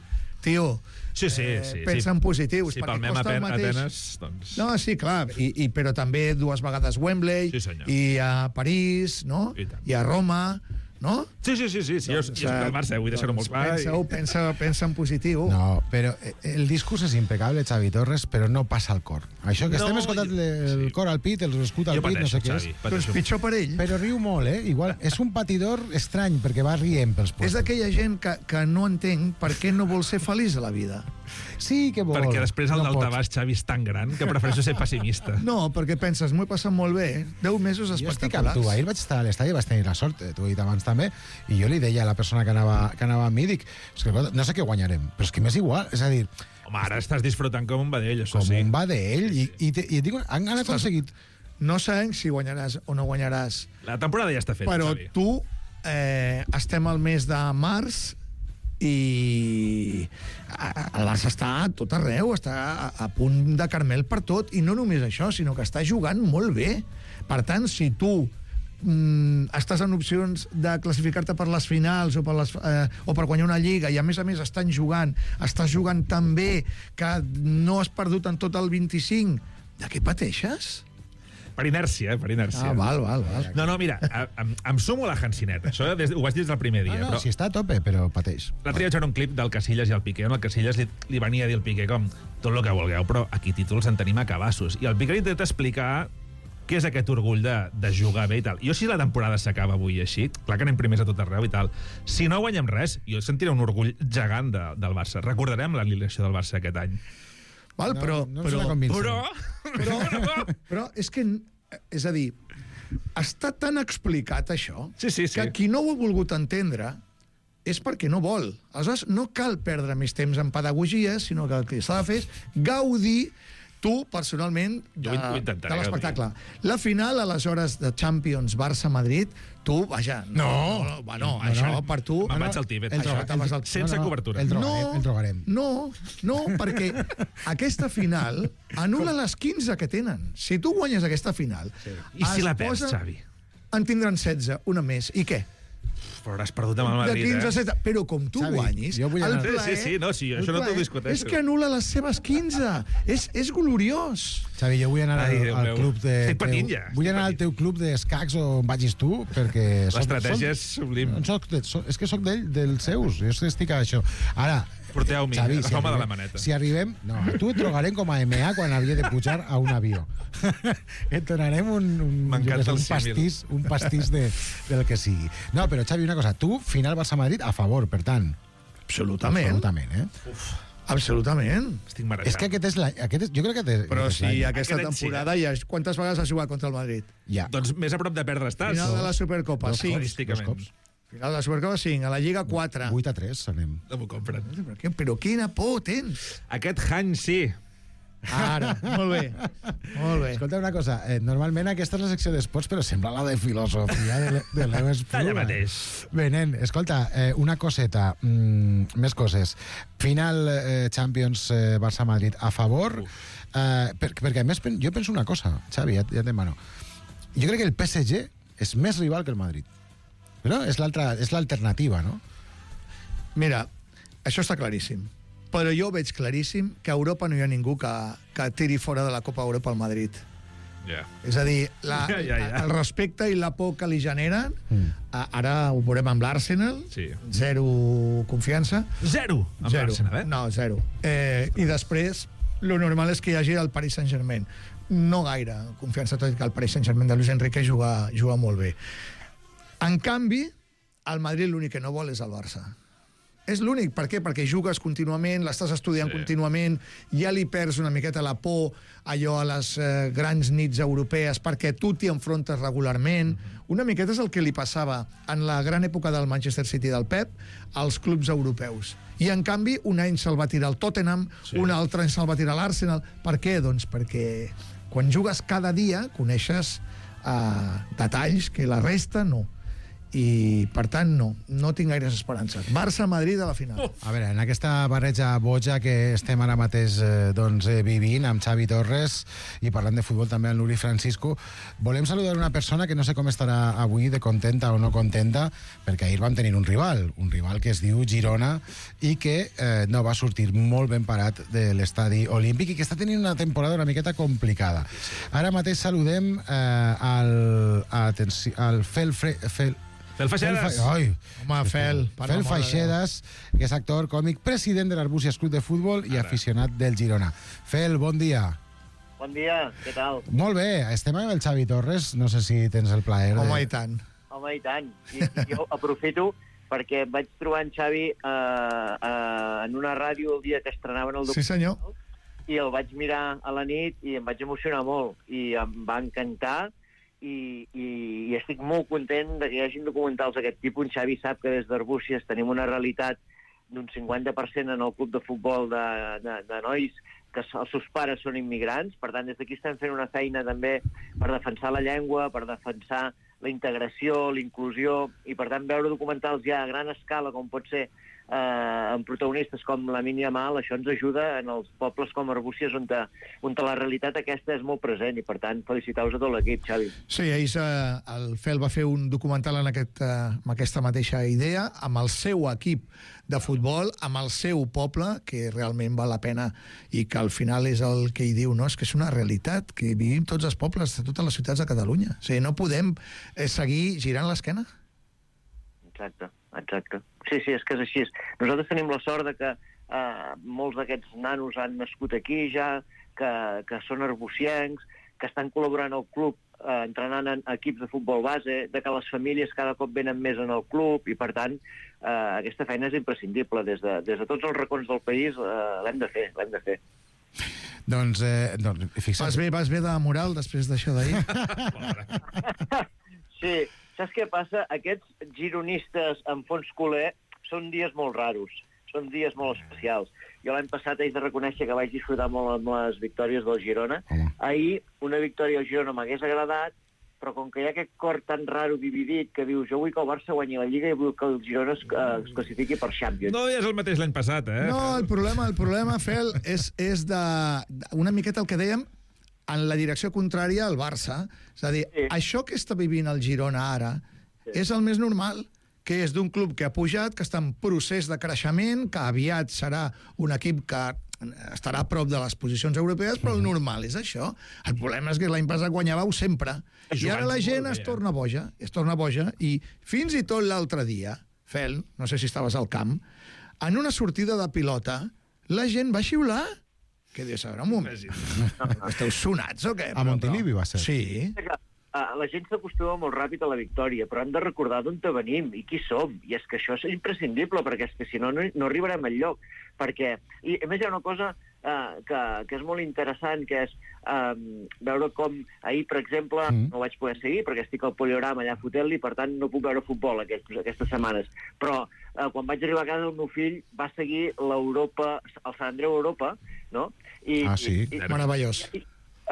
tio, pensa en positius. Si palmem Atenes, doncs... No, sí, clar, però també 2 vegades Wembley, i a París, no? I a Roma, no? Sí. Jo soc del Barça, vull deixar-ho molt clar. Pensa en positiu. No, però el discurs és impecable, Xavi Torres, però no passa al cor. Això que estem escoltant el cor al pit, l'escut al pit, no sé què és. Doncs pitjor per ell. Però riu molt, Igual, és un patidor estrany, perquè va rient pels postos. És d'aquella gent que no entenc per què no vol ser feliç a la vida. Sí que vol. Perquè després el daltabaix, Xavi, és tan gran que prefereixo ser pessimista. No, perquè penses, m'ho he passat molt bé, 10 mesos espectaculars. Jo estic amb tu, ahir vaig estar a l'estadi i vaig tenir la sort, t'ho he dit abans també, i jo li deia a la persona que anava amb mi, dic, no sé què guanyarem, però és que m'és igual, és a dir... Home, ara estàs disfrutant com un vedell, això sí. Com un vedell, i et dic, han aconseguit... No sabem si guanyaràs o no guanyaràs. La temporada ja està feta, però Xavi. Tu, estem al mes de març, i el Barça està a tot arreu, està a punt de carmel per tot, i no només això, sinó que està jugant molt bé. Per tant, si tu estàs en opcions de classificar-te per les finals o per guanyar una lliga, i a més estàs jugant tan bé que no has perdut en tot el 25, de què pateixes? Per inèrcia, per inèrcia. Val. No, mira, em sumo a la Hansineta. Això ho vaig dir des del primer dia. No, si està a tope, però pateix. L'altre dia vaig veure un clip del Casillas i el Piqué, on el Casillas li venia a dir al Piqué com tot el que vulgueu, però aquí títols en tenim a cabassos. I el Piqué intenta explicar què és aquest orgull de jugar bé i tal. Jo, si la temporada s'acaba avui així, clar que anem primers a tot arreu i tal, si no guanyem res, jo sentiré un orgull gegant del Barça. Recordarem l'alineació del Barça aquest any. Val, però és que, és a dir, està tan explicat això que qui no ho ha volgut entendre és perquè no vol. Aleshores, no cal perdre més temps en pedagogia, sinó que el que s'ha de fer és gaudir tu, personalment, de l'espectacle. La final, aleshores, de Champions Barça-Madrid, tu, vaja... No, això per tu... Me'n vaig al Tíbet. Sense cobertura. El drogarem. No, perquè aquesta final anul·la les 15 que tenen. Si tu guanyes aquesta final... I si la perds, Xavi? En tindran 16, una més. I què? Però hauràs perdut amb el Madrid, de 15 a 7, però com tu guanyis, el plaer... Sí, això no t'ho discuteixo. És que anul·la les seves 15. És gloriós. Xavi, jo vull anar al club de... Estic patint ja. Vull anar al teu club d'escacs on vagis tu, perquè... L'estratègia és sublim. És que sóc dels seus, jo estic a això. Ara... Porteu-m'hi, agafeu-me de la maneta. Si arribem... No, tu et drogarem com a MA quan havia de pujar a un avió. Et donarem un pastís del que sigui. No, però Xavi, una cosa. Tu, final Barça-Madrid, a favor, per tant. Absolutament. Absolutament. Estic marejat. És que jo crec que... Però si aquesta temporada ja... Quantes vegades has jugat contra el Madrid? Ja. Doncs més a prop de perdre estàs. Final de la Supercopa, 5. Dos cops. Final de la Supercopa 5, a la Lliga 4. 8-3 anem. No m'ho compren. Però quina por tens. Aquest any sí. Ara, molt bé. Escolta una cosa, normalment aquesta és la secció d'esports, però sembla la de filosofia de l'Eu Espluga. Allà mateix. Bé, nen, escolta, una coseta, més coses. Final Champions Barça-Madrid a favor, perquè a més jo penso una cosa, Xavi, ja et demano. Jo crec que el PSG és més rival que el Madrid. No? És l'alternativa, no? Mira, això està claríssim. Però jo veig claríssim que a Europa no hi ha ningú que tiri fora de la Copa Europa al Madrid. És a dir, el respecte i la por que li generen, ara ho veurem amb l'Arsenal, zero confiança. Zero amb l'Arsenal, No, zero. I després, lo normal és que hi hagi el Paris Saint-Germain. No gaire confiança, tot i que el Paris Saint-Germain de Luis Enrique juga molt bé. En canvi, el Madrid l'únic que no vol és el Barça. És l'únic. Per què? Perquè jugues contínuament, l'estàs estudiant contínuament, ja li perds una miqueta la por allò a les grans nits europees, perquè tu t'hi enfrontes regularment. Una miqueta és el que li passava en la gran època del Manchester City del Pep als clubs europeus. I, en canvi, un any se'l va tirar el Tottenham, un altre any se'l va tirar l'Arsenal. Per què? Doncs perquè quan jugues cada dia coneixes detalls que la resta no. I, per tant, no tinc gaires esperances. Barça-Madrid a la final. A veure, en aquesta barreja boja que estem ara mateix vivint amb Xavi Torres i parlant de futbol també amb l'Uri Francisco, volem saludar una persona que no sé com estarà avui de contenta o no contenta, perquè ahir vam tenir un rival que es diu Girona i que no va sortir molt ben parat de l'estadi olímpic i que està tenint una temporada una miqueta complicada. Ara mateix saludem al Fel Faixedas. Fel Faixedas, que és actor, còmic, president de l'Arbúcies Club de Futbol i aficionat del Girona. Fel, bon dia. Bon dia, què tal? Molt bé, estem amb el Xavi Torres, no sé si tens el plaer. Home, i tant. Home, i tant. I jo aprofito perquè vaig trobar en Xavi en una ràdio el dia que estrenaven el documental. Sí, senyor. I el vaig mirar a la nit i em vaig emocionar molt. I em va encantar i estic molt content que hi hagi documentals d'aquest tipus. En Xavi sap que des d'Arbúcies tenim una realitat d'un 50% en el club de futbol de nois que els seus pares són immigrants. Per tant, des d'aquí estem fent una feina també per defensar la llengua, per defensar la integració, la inclusió, i per tant veure documentals ja a gran escala, com pot ser amb protagonistes com Lamine Yamal, això ens ajuda en els pobles com Arbúcies on la realitat aquesta és molt present, i per tant felicitar-vos a tot l'equip, Xavi. Sí, ahir el Fel va fer un documental amb aquesta mateixa idea, amb el seu equip de futbol, amb el seu poble, que realment val la pena i que al final és el que hi diu, no? És que és una realitat, que vivim tots els pobles de totes les ciutats de Catalunya. O sigui, no podem seguir girant l'esquena. Exacte. Sí, és que és així. Nosaltres tenim la sort de que molts d'aquests nanos han nascut aquí ja, que són arbuciencs, que estan col·laborant al club, entrenant en equips de futbol base, de que les famílies cada cop venen més en el club, i per tant aquesta feina és imprescindible. Des de tots els racons del país l'hem de fer. Doncs fixa't. Vas bé de moral després d'això d'ahir? Sí. Saps què passa? Aquests gironistes en fons culer són dies molt raros, són dies molt especials. Jo l'any passat haig de reconèixer que vaig disfrutar molt amb les victòries del Girona. Ahir una victòria al Girona m'hagués agradat, però com que hi ha aquest cor tan raro dividit que dius jo vull que el Barça guanyi la Lliga i vull que el Girona es classifiqui per Champions. No és el mateix l'any passat, eh? No, el problema, Fel, és una miqueta el que dèiem, en la direcció contrària al Barça. És a dir, això que està vivint el Girona ara és el més normal, que és d'un club que ha pujat, que està en procés de creixement, que aviat serà un equip que estarà a prop de les posicions europees, però el normal és això. El problema és que l'any passat guanyàveu sempre. I ara la gent es torna boja, i fins i tot l'altre dia, Fel, no sé si estaves al camp, en una sortida de pilota, la gent va xiular. Que dius, a veure, un moment. Esteu sonats o què? A Montilivi va ser. Sí. La gent s'acostuma molt ràpid a la victòria, però hem de recordar d'on venim i qui som. I és que això és imprescindible, perquè és que si no arribarem enlloc. Perquè, i a més hi ha una cosa que és molt interessant, que és veure com ahir, per exemple, no vaig poder seguir perquè estic al Poliorama allà fotent-li, per tant no puc veure futbol aquestes setmanes. Però quan vaig arribar a casa el meu fill va seguir l'Europa, el Sant Andreu Europa, no? Sí, meravellós.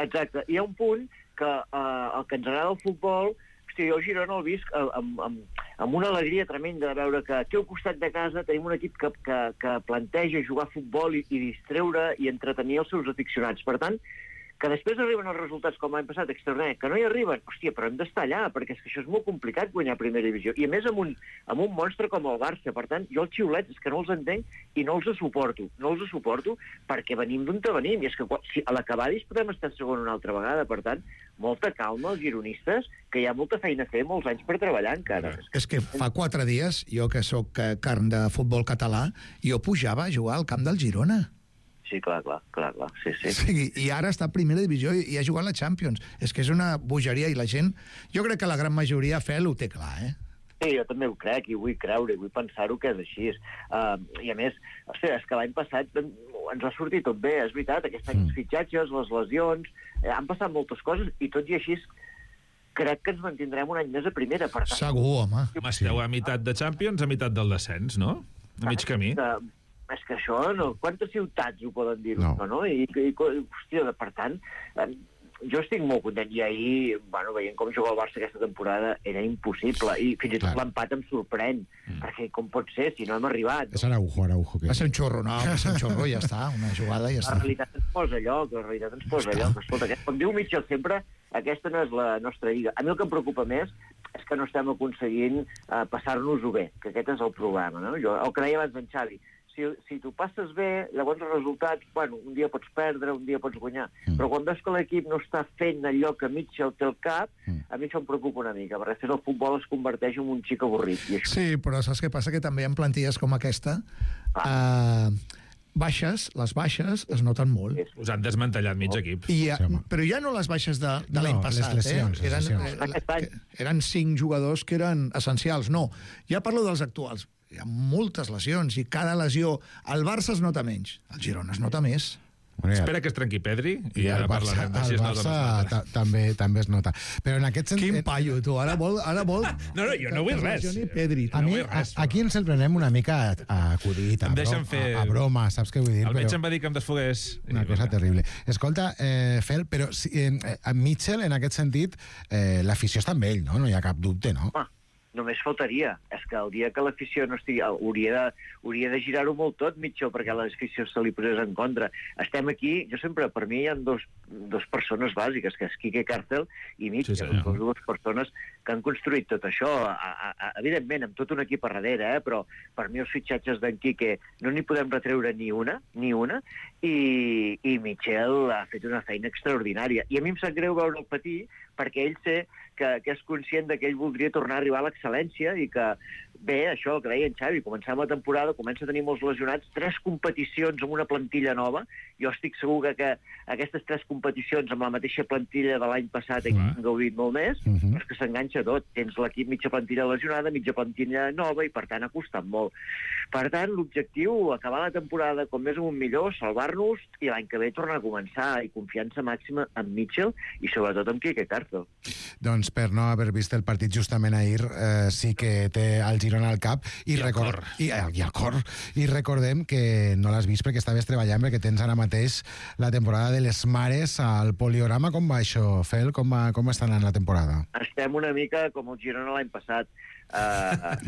Exacte. Hi ha un punt que el que ens agrada el futbol, hosti, jo a Girona el visc amb una alegria tremenda de veure que aquí al costat de casa tenim un equip que planteja jugar a futbol i distreure i entretenir els seus aficionats. Per tant, que després arriben els resultats com l'any passat, extraordinari, que no hi arriben, hòstia, però hem d'estar allà, perquè és que això és molt complicat guanyar primera divisió, i a més amb un monstre com el Barça. Per tant, jo els xiulets és que no els entenc i no els suporto perquè venim d'on venim, i és que si a l'acabadis podem estar segon una altra vegada. Per tant, molta calma als gironistes, que hi ha molta feina a fer, molts anys per treballar encara. És que fa 4 dies, jo que sóc carn de futbol català, jo pujava a jugar al camp del Girona. Sí, clar, sí. I ara està a primera divisió i ha jugat la Champions. És que és una bogeria, i la gent, jo crec que la gran majoria, Fel, ho té clar, eh? Sí, jo també ho crec, i vull creure, i vull pensar-ho que és així. I a més, és que l'any passat ens ha sortit tot bé, és veritat, aquest any els fitxatges, les lesions, han passat moltes coses, i tot i així crec que ens mantindrem un any més a primera. Per tant, segur, home. Esteu a meitat de Champions, a meitat del descens, no? A mig camí. És que això, no, quantes ciutats ho poden dir? No. Hòstia, per tant, jo estic molt content, i ahir, veient com juga el Barça aquesta temporada, era impossible, i fins i tot l'empat em sorprèn, perquè com pot ser, si no hem arribat... És Araujo. Va ser un xorro, ja està, una jugada i ja està. La realitat ens posa lloc, Escolta, com diu Mitchell sempre, aquesta no és la nostra lliga. A mi el que em preocupa més és que no estem aconseguint passar-nos-ho bé, que aquest és el problema, no? El que deia abans en Xavi, si tu passes bé, llavors els resultats, un dia pots perdre, un dia pots guanyar, però quan veus que l'equip no està fent allò que Mitchell té al cap, a mi això em preocupa una mica, perquè després el futbol es converteix en un xic avorrit. I això... Sí, però saps què passa? Que també en plantilles com aquesta, les baixes es noten molt. Us han desmantellat mig equip. Però ja no les baixes de l'any passat. Les lesions. Eren 5 jugadors que eren essencials. No, ja parlo dels actuals. Hi ha moltes lesions, i cada lesió... El Barça es nota menys, el Girona es nota més. Espera que es trenqui Pedri i ara parlarem de si es nota o no. també es nota. Però en aquest sentit... Quin paio, tu, ara vol... No, jo no vull res. Pedri. A mi, aquí ens el prenem una mica a acudit, a broma, saps què vull dir? El metge em va dir que em desfogués. Una cosa terrible. Escolta, Fel, però en Mitchell, en aquest sentit, l'afició està amb ell, no? No hi ha cap dubte, no? Només faltaria. És que el dia que l'afició no estigui... Hauria de girar-ho molt tot, Mitchell, perquè l'afició se li posés en contra. Estem aquí... Per mi hi ha dos persones bàsiques, que és Quique Cárcel i Mitchell. Sí, dues persones que han construït tot això. Evidentment, amb tot un equip a darrere, però per mi els fitxatges d'en Quique no n'hi podem retreure ni una, i Mitchell ha fet una feina extraordinària. I a mi em sap greu veure'l patir, perquè ell sé que és conscient que ell voldria tornar a arribar a l'excel·lència i que, bé, això que deia en Xavi, començant la temporada, comença a tenir molts lesionats, 3 competicions amb una plantilla nova. Jo estic segur que aquestes 3 competicions amb la mateixa plantilla de l'any passat han gaudit molt més, però és que s'enganxa tot. Tens l'equip mitja plantilla lesionada, mitja plantilla nova, i per tant ha costat molt. Per tant, l'objectiu, acabar la temporada com més amunt millor, salvar-nos, i l'any que ve tornar a començar, i confiança màxima en Mitchell i sobretot en Quique Cárcel. Doncs per no haver vist el partit justament ahir, sí que té el Girona al cap i al cor. I recordem que no l'has vist perquè estaves treballant, perquè tens ara mateix la temporada de les mares al Poliorama. Com va això, Fel? Com està anant la temporada? Estem una mica com el Girona l'any passat. A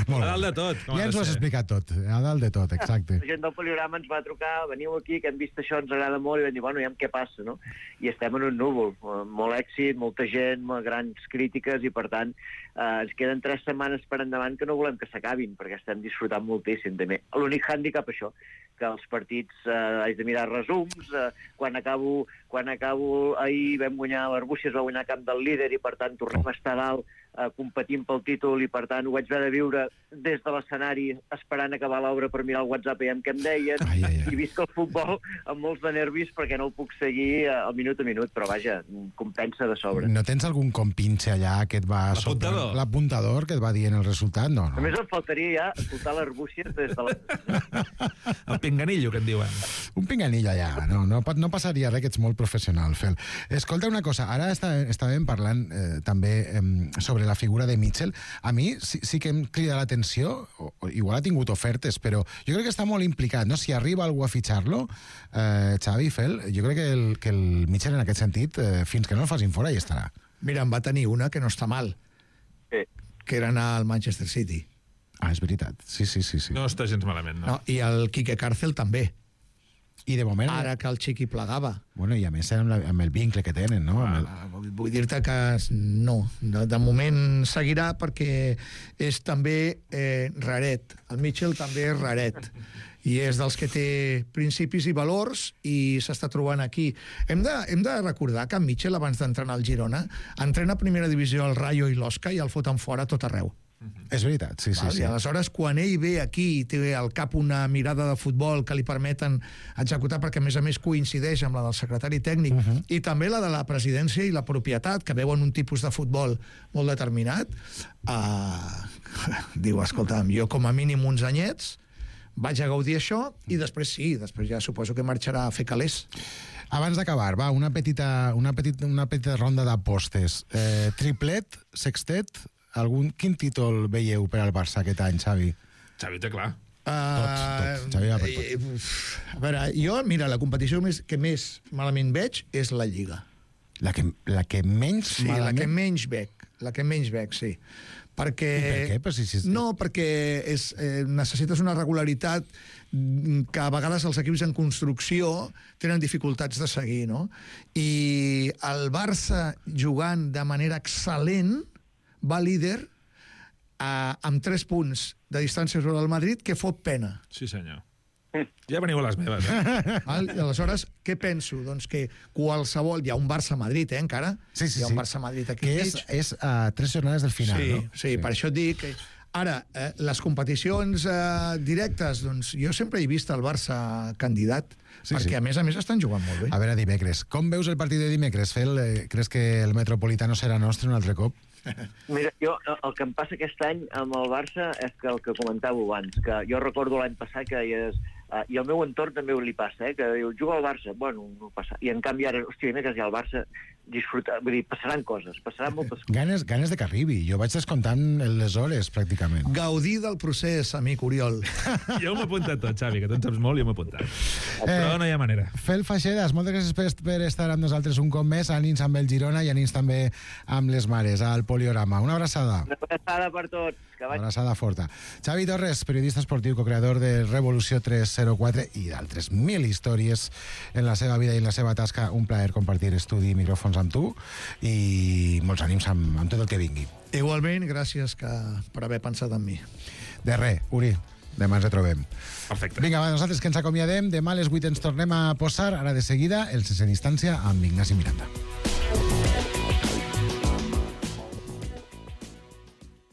dalt de tot. Ja ens ho has explicat tot. A dalt de tot, exacte. La gent del Poliorama ens va trucar, veniu aquí, que hem vist això, ens agrada molt, i vam dir, ja què passa, no? I estem en un núvol. Molt èxit, molta gent, grans crítiques, i per tant ens queden 3 setmanes per endavant que no volem que s'acabin, perquè estem disfrutant moltíssim també. L'únic hàndicap, això, que els partits haig de mirar resums, quan acabo ahir vam guanyar l'Arbúcies, va guanyar camp del líder, i per tant tornem a estar dalt competint pel títol, i per tant ho vaig haver de viure des de l'escenari esperant acabar l'obra per mirar el WhatsApp i què em deien, i visc el futbol amb molts de nervis perquè no el puc seguir al minut a minut, però vaja, compensa de sobre. No tens algun compinxe allà que et va... L'apuntador que et va dient el resultat? No. Només em faltaria ja escoltar l'Arbúcies des de la... El pinganillo, que en diuen. Un pinganillo allà, no passaria res, que ets molt professional, Fel. Escolta una cosa, ara estàvem parlant també sobre la figura de Mitchell. A mi sí que em crida l'atenció, igual ha tingut ofertes, però jo crec que està molt implicat, no? Si arriba algú a fitxar-lo, Xavi, Fel, jo crec que el Mitchell en aquest sentit, fins que no el facin fora, hi estarà. Mira, en va tenir una que no està mal, que era anar al Manchester City. És veritat. Sí. No està gens malament, no? I el Quique Cárcel també. I de moment... Ara que el Xiqui plegava. Bueno, i a més amb el vincle que tenen, no? Vull dir-te que no. De moment seguirà perquè és també raret. El Mitchell també és raret. I és dels que té principis i valors i s'està trobant aquí. Hem de recordar que en Mitchell, abans d'entrenar al Girona, entrena a primera divisió al Rayo i l'Osca i el foten fora tot arreu. És veritat, sí. I aleshores, quan ell ve aquí i té al cap una mirada de futbol que li permeten executar, perquè a més coincideix amb la del secretari tècnic, i també la de la presidència i la propietat, que veuen un tipus de futbol molt determinat, diu, escolta'm, jo com a mínim uns anyets vaig a gaudir això, i després ja suposo que marxarà a fer calés. Abans d'acabar, va, una petita ronda d'apostes. Triplet, sextet, quin títol veieu per al Barça aquest any, Xavi? Xavi té clar. Tot. Xavi va per tot. A veure, jo, mira, la competició que més malament veig és la Lliga. La que menys malament? La que menys veig, sí. Perquè... I per què? No, perquè necessites una regularitat que a vegades els equips en construcció tenen dificultats de seguir, no? I el Barça, jugant de manera excel·lent, va líder amb 3 punts de distància sobre el Madrid, que fot pena. Sí, senyor. Ja veniu a les meves, Aleshores, què penso? Doncs que qualsevol... Hi ha un Barça-Madrid, encara? Sí. Hi ha un Barça-Madrid aquí que és a 3 jornades del final, no? Sí, per això et dic... Ara, les competicions directes, doncs jo sempre he vist el Barça candidat, perquè a més estan jugant molt bé. A veure, dimecres. Com veus el partit de dimecres, Fel? Creus que el Metropolitano serà nostre un altre cop? Mira, jo el que em passa aquest any amb el Barça és que el que comentàveu abans, que jo recordo l'any passat que i al meu entorn també li passa, que diu, juga al Barça, bueno, no passa. I en canvi ara, hòstia, dimecres ja al Barça disfrutar, vull dir, passaran moltes coses. Ganes de que arribi. Jo vaig descomptant les hores, pràcticament. Gaudir del procés, amic Oriol. Jo m'ho he apuntat tot, Xavi, que tu en saps molt i jo m'he apuntat. Però no hi ha manera. Fel Faixedas, moltes gràcies per estar amb nosaltres un cop més. Ànims amb el Girona i ànims també amb les mares, al Poliorama. Una abraçada. Una abraçada per tots. Una abraçada forta. Xavi Torres, periodista esportiu, co-creador de Revolució 304 i d'altres 1000 històries en la seva vida i en la seva tasca. Un plaer compartir estudi i micròfons amb tu i molts ànims amb tot el que vingui. Igualment, gràcies per haver pensat en mi. De res, Uri. Demà ens retrobem. Perfecte. Vinga, va, nosaltres que ens acomiadem. Demà a les 8 ens tornem a posar, ara de seguida, el Sense Distància amb Ignasi Miranda.